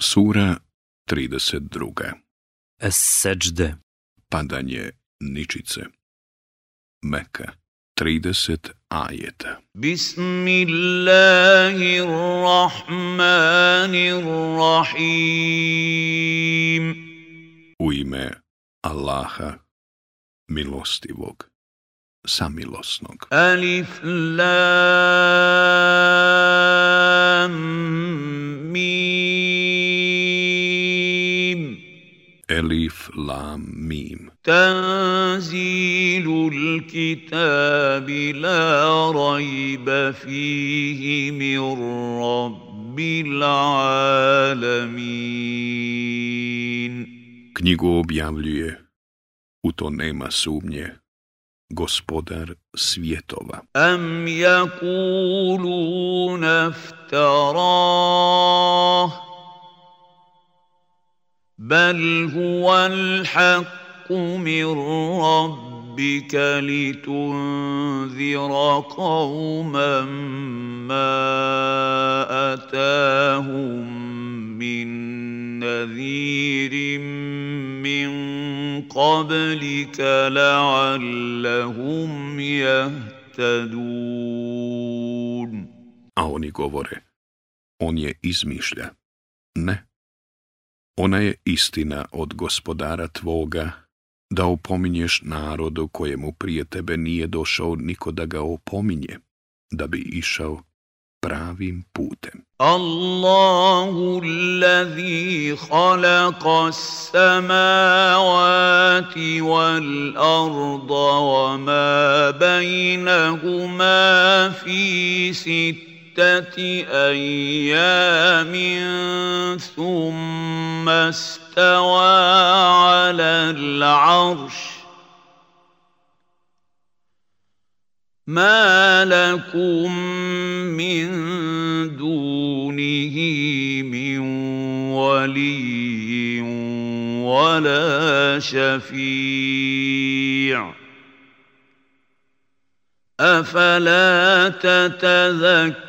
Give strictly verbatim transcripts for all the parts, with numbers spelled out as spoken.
Sura trideset dva. Es-Seđde. Padanje ničice. Meka. trideset ajeta. Bismillahirrahmanirrahim. U ime Allaha, milostivog, samilosnog. Alif lam mim. Elif lam mim. Tanzilul kitabi la rajba fihi min rabbil alamin. Knjigu objavljuje, u to nema sumnje, Gospodar svjetova. Am yakuluna iftarah. بل هو الحق من ربك لتنذر قوما ما أتاهم من نذير من قبلك لعلهم يهتدون. A oni govore, on je izmišlja. Ne. Ona je istina od Gospodara tvoga, da opominješ narodu kojemu prije tebe nije došao niko da ga opominje, da bi išao pravim putem. Allahu allazi khalaqa as-samawati wal arda wa ma bainahuma fi sitt أيام ثم استوى على العرش ما لكم من دونه من ولي ولا شفيع أفلا تتذكرون.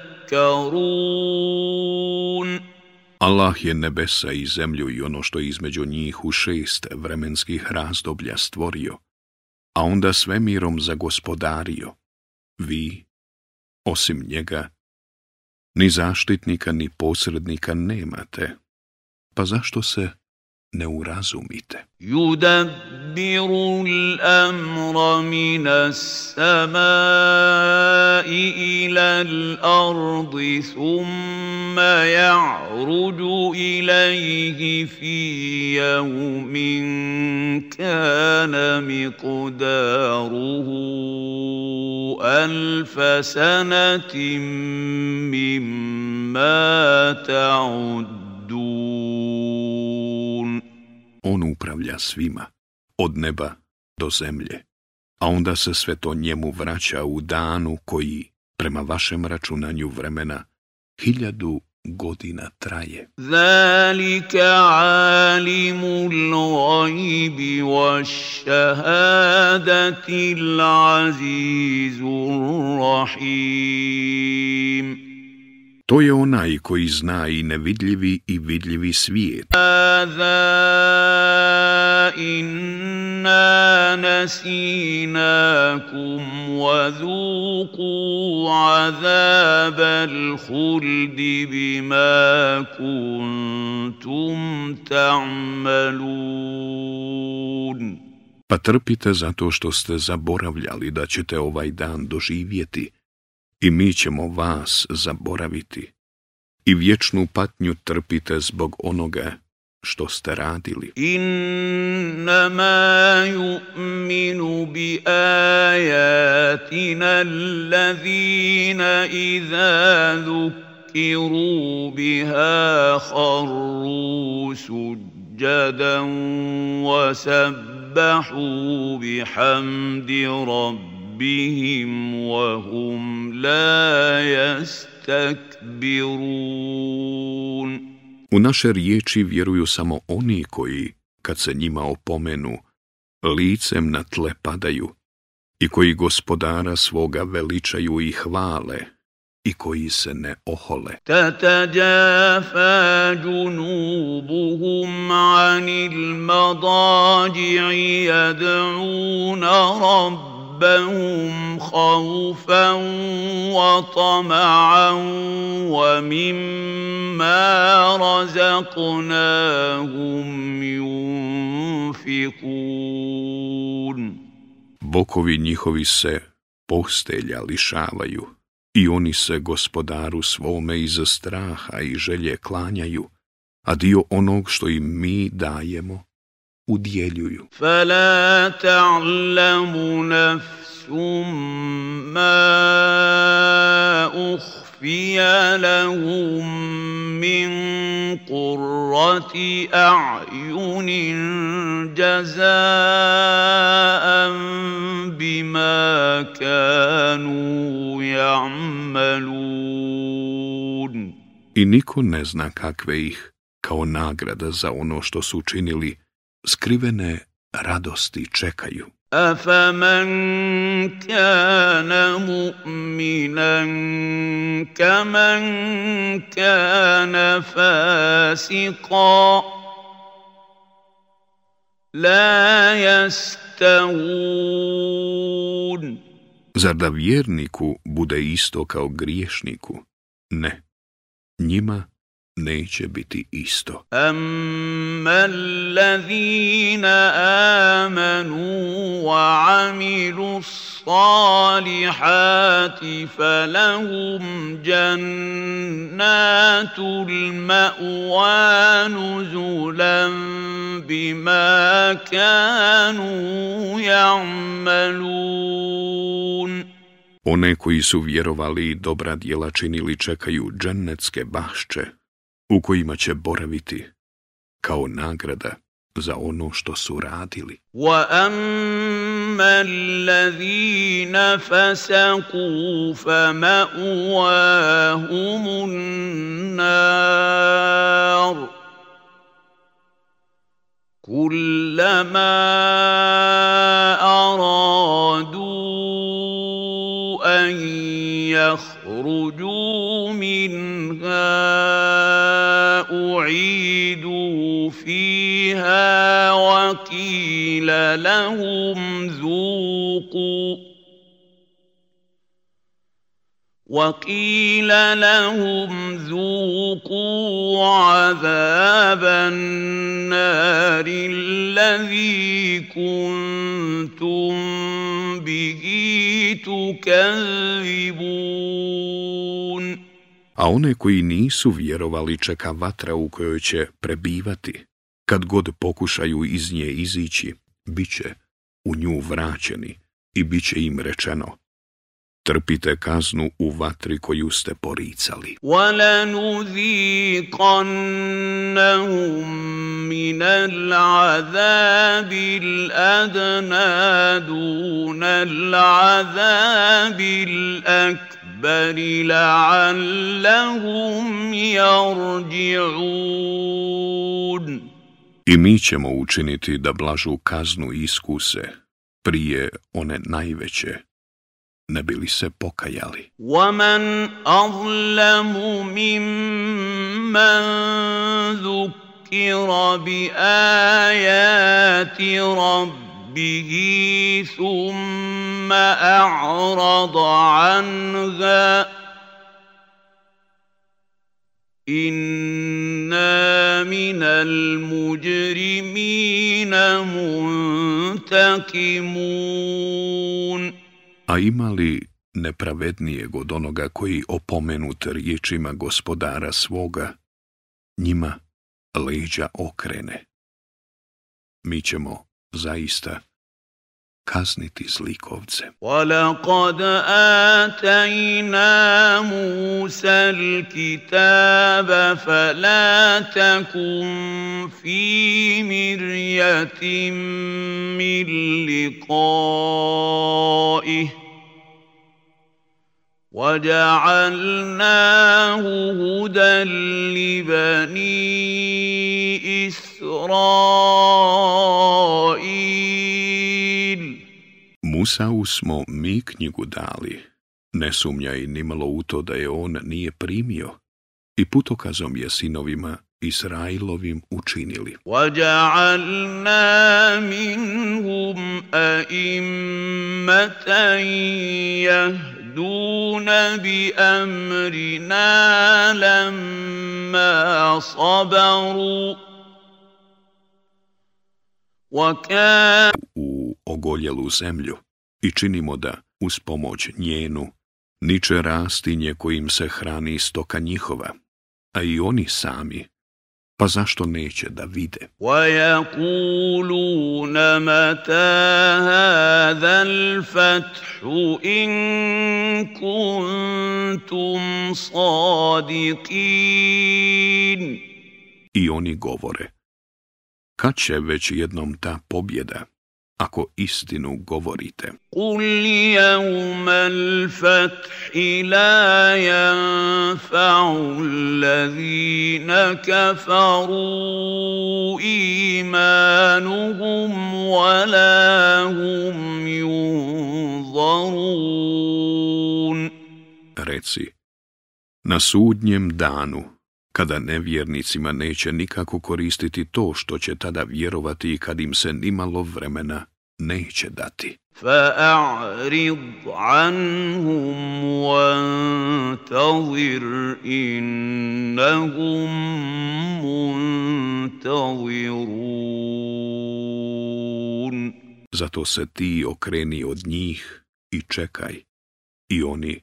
Allah je nebesa i zemlju i ono što je između njih u šest vremenskih razdoblja stvorio, a onda svemirom zagospodario. Vi, osim njega, ni zaštitnika ni posrednika nemate, pa zašto se ne urazumite? Yudabbiru al-amra min as-samai ila al-ardi thumma ya'ruju ilayhi fi yawmin kana miqdaruhu alfa sanatin mimma ta'uddun. On upravlja svima, od neba do zemlje, a onda se sve to njemu vraća u danu koji, prema vašem računanju vremena, hiljadu godina traje. Zalika alimul gajbi wash-shahadati al-azizur rahim. To je onaj koji zna i nevidljivi i vidljivi svijet. Hada inna nasinakum wa dhuqu azabal khuldi bima kuntum ta'malun. Pa trpite zato što ste zaboravljali da ćete ovaj dan doživjeti, i mi ćemo vas zaboraviti, i vječnu patnju trpite zbog onoga što ste radili. Innama yu'minu bi ayatina allazina idha dhukiru biha kharru sujjadan wa sabbahu bihamdi rabbi bihim wa hum la yastakbirun. U naše riječi vjeruju samo oni koji, kad se njima opomenu, licem na tle padaju i koji Gospodara svoga veličaju i hvale i koji se ne ohole. تتجافى جنوبهم عن المضاجع يدعون ربهم خوفا وطمعا ومما رزقناهم ينفقون. Bokovi njihovi se postelja lišavaju i oni se gospodaru svome iz straha i želje klanjaju, a dio onog što im mi dajemo udjeljuju. فلا تعلم نفس ما أخفي لهم من قرة أعين جزاء بما كانوا يعملون. I niko ne zna kakve ih, kao nagrada za ono što su učinili, skrivene radosti čekaju. أفمن كان مؤمنا كمن كان فاسقا لا يستوون. Zar da vjerniku bude isto kao griješniku? Ne, njima neće biti isto. أما الذين آمنوا وعملوا الصالحات فلهم جنات المأوى نزلا بما كانوا يعملون. One koji su vjerovali i dobra djela činili čekaju džennetske bašče, u kojima će boraviti kao nagrada za ono što su radili. وَأَمَّا الَّذِينَ فَسَقُوا فَمَأْوَاهُمُ النَّارُ كُلَّمَا أَرَادُوا أَن يَخْرُجُوا مِنْهَا أعيدوا فيها وقيل لهم ذوقوا وقيل لهم ذوقوا عذاب النار الذي كنتم به تكذبون. A one koji nisu vjerovali čeka vatra u kojoj će prebivati. Kad god pokušaju iz nje izići, bit će u nju vraćeni i bit će im rečeno: trpite kaznu u vatri koju ste poricali. وَلَنُذِيقَنَّهُم مِّنَ الْعَذَابِ الْأَدْنَىٰ دُونَ الْعَذَابِ الْأَكْبَرِ لَعَلَّهُمْ يَرْجِعُونَ. I mi ćemo učiniti da blažu kaznu iskuse prije one najveće, ne bi li se pokajali. وَمَنْ أَظْلَمُ مِمَّنْ ذُكِّرَ بِآيَاتِ رَبِّهِ ثُمَّ أَعْرَضَ عَنْهَا إِنَّا مِنَ الْمُجْرِمِينَ مُنْتَقِمُونَ. A ima li nepravednijeg od onoga koji opomenut riječima gospodara svoga, njima leđa okrene? Mi ćemo zaista kazniti zlikovce. وَلَقَدْ آتَيْنَا مُوسَى الْكِتَابَ فَلَا تَكُنْ فِي مِرْيَةٍ مِّن لِقَائِهِ وَجَعَلْنَاهُ هُدًى لِبَنِي إِسْرَائِيلَ. Musau smo mi knjigu dali, Ne sumnjaj nimalo u to da je on nije primio i putokazom je sinovima Israilovim učinili. وَجَعَلْنَا مِنْهُمْ أَئِمَّةً يَهْدُونَ بِأَمْرِنَا لَمَّا صَبَرُوا وَكَانُوا U ogoljelu zemlju i činimo da, uz pomoć njenu, niče rastinje kojim se hrani stoka njihova, a i oni sami, pa zašto neće da vide? وَيَقُولُونَ مَتَى هَذَا الْفَتْحُ إِن كُنتُمْ صَادِقِينَ. I oni govore, kad će već jednom ta pobjeda, ako istinu govorite? قُلْ يَوْمَ الْفَتْحِ لَا يَنفَعُ الَّذِينَ كَفَرُوا إِيمَانُهُمْ وَلَا هُمْ يُنظَرُونَ. Reci, na sudnjem danu, kada nevjernicima neće nikako koristiti to što će tada vjerovati i kad im se nimalo vremena neće dati. فَأَعْرِضْ عَنْهُمْ وَانْتَظِرْ إِنَّهُمْ مُنْتَظِرُونَ. Zato se ti okreni od njih i čekaj, i oni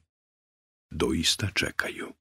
doista čekaju.